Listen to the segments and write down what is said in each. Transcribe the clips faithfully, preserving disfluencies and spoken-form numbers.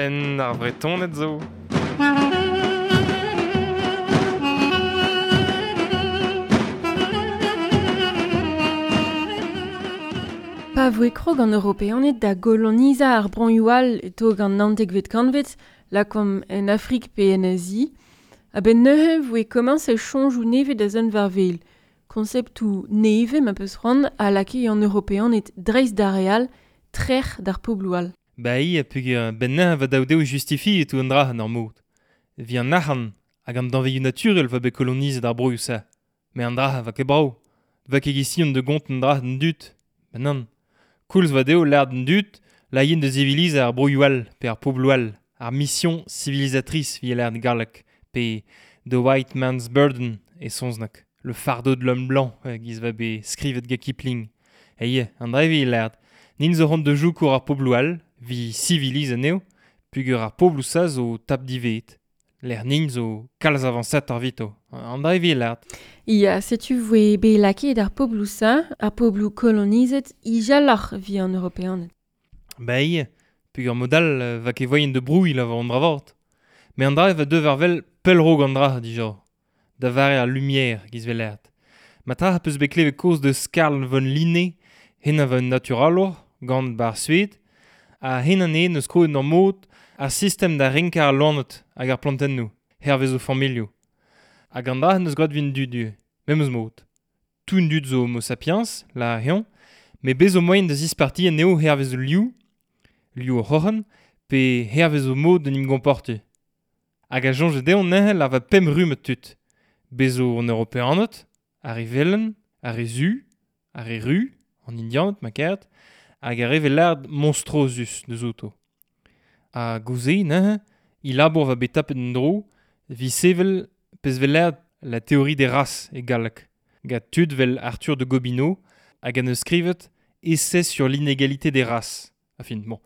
Penn ar Vretoned zo. Pa voe krog an Europeaned da golonizañ ar broioù all e-toug an naontekvet kantved, lakaomp en Afrik pe en Azi, a-benn neuze voe komañset soñjoù nevez da zont war-wel. Konseptoù nevez ma peus c'hoant a lakae an Europeaned dreist d'ar re all, trec'h d'ar pobloù all. Ba ia peogwir benn neuze va daou dezho justifiet tout an dra en ur mod. Vi an arc'hant hag an danvezioù naturel va bet kolonizet ar broioù-se. Me an dra va ket brav. Va ket gision de gont an dra d'an dud. Ben nann. Koulz va dezho lâret d'an dud, la yen de zivilizañ ar broioù all, pe ar pobloù all, ar mission civilisatrice vi lâret galleg, pe The White Man's Burden e saozneg, le fardeau de l'homme blanc, giz va bet skrivet gant Kipling. E ie, an dra vi lâret, nin zo ront de joukour ar pobloù all, vi civiliz anezho, pugur ar pobloù sa zo tap divet. L'air nin zo kalz avañsat ar vito. An dra vi lâret. Ia, setu voe bet lakaet ar pobloù sa, ar pobloù kolonizet, ijaloc'h vi an Europeaned. Ba ie, pugur modal va ket voien de brouilh la war an dra vort. Me an dra va deuv ar vel pellrog an dra dija. Da vare ar lumière giz vel lâret. Ma tra peus bet klevet koz deus Carl von Linné, hen a va un naturalour, gant bar Sued, ha hen an e neus kroet ur mod ar sistem da renkañ ar loened hag ar plantennoù, hervez o familhoù. Hag an dra neus gwraet vin dud du, memes mod. Tout dud zo homo sapiens, la heon, me bez o moaien da zisparti anezho hervez o liv, liv o c'hroc'hen, pe hervez o mod d'en em gomportiñ. Hag a soñj dezho neuze la va pemp rumm tud. Bez zo an Europeaned, ar re velen, ar re zu, ar re ru, an Indianed ma karet, hag ar re velard monstruosus deus outo. Ha gouze neuze, i labour va bet tapet en dro, vi sevel pezh velard la théorie des races e galleg. Gant tud vel Arthur de Gobineau hag an eus skrivet Essai sur l'inégalité des races. Enfin, bon,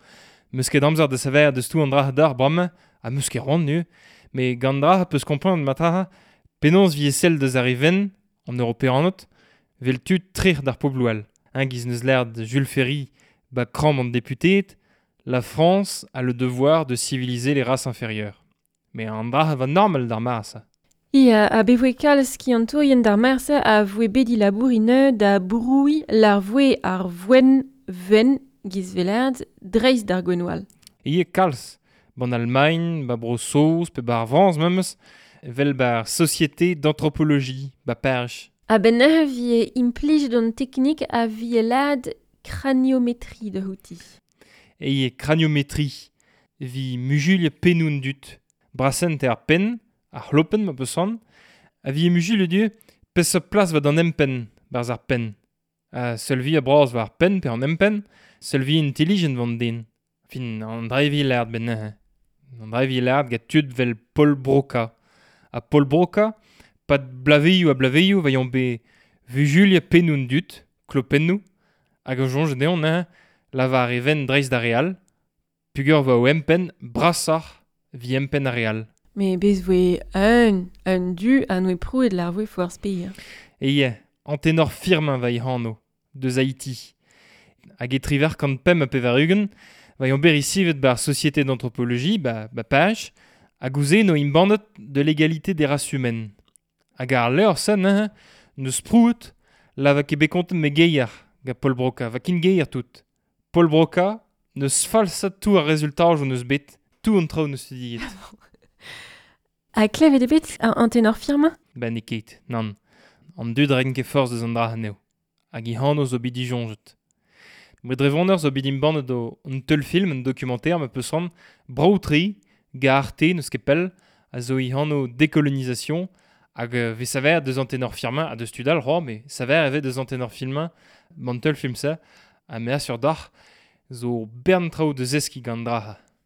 meus ket amzer da saver deus tout an dra d'ar bramañ, ha meus ket c'hoant nu, mais gant dra peus kompren ma tra penaos vi sell deus ar re ven, an Europeaned, vel tud trec'h d'ar pobloù all. Hein, giz neus lâret Jules Ferry ba kramm an deputeed, la France a le devoir de civiliser les races inférieures. Mais an dra va normal d'ar mare-se. Ia, a be voe kalz skiantourien d'ar mare-se a voe bet dilabour ine da brouilh l'ar voe ar voen ven giz velard dreist d'ar gwennoù all. Ie kalz, ban Allemagne, ba Bro-Saoz, pe ba ar Frañs memes, vel bar Société d'anthropologie, ba Paris. A ben neuze vie implijet an teknik a vie lad craniométrie de houti. Ie craniométrie, vi mujul pennoù dud, brasent ar penn, ar c'hlopenn ma peus c'hoant, a vi mujul du peseurt plas va d'an empenn, barzh ar penn. Ha seul vi a bras war ar penn pe an empenn, seul vi intelligent van den. Fin, an dra vi lâret ben neuze. An dra vi lâret gant tud vel Paul Broca. Ha Paul Broca, pad blaveioù ha blaveioù va yon bet vujulia pennoù dud, klopennoù, hag a soñj dezhañ neuze, lavar e ven dreist d'ar re all, pugur va o empenn brasoc'h vi empenn ar re all. Me bez voe un, un du a noe prouet l'ar voe foar speir. E ie, Anténor Firmin va i hano, deus Haïti. Hag e triver kant pemp ha pevar-ugent, va yon bet risivet bar Société d'anthropologie, ba, ba Paj, hag ouze no imbandet de l'égalité des races humaines. Hag ar levr se neuze, neus prouet, la va ket bet kontet me geier gant Paul Broca, va kin geier tout. Paul Broca neus falsat tout ar rezultajoù neus bet, tout an traoù neus studiet. Ha klevet eo bet an Anténor Firmin? Ba n'eo ket, nann. An dud ren ket forzh deus an dra anezho. Hag i hano zo bet disoñjet. Met dre voneur zo bet imbannet o un teulfilm, un documentaire ma peus c'hoant, brav-tre, gant Arte n'eus ket pell, a zo i hano décolonisation, hag euh, vez saver deus Anténor Firmin, ha deus tud all c'hoazh, mais saver evet deus Anténor Firmin, ban teulfilm se, ha me assur d'ac'h, zo bern traoù deus eski gant dra.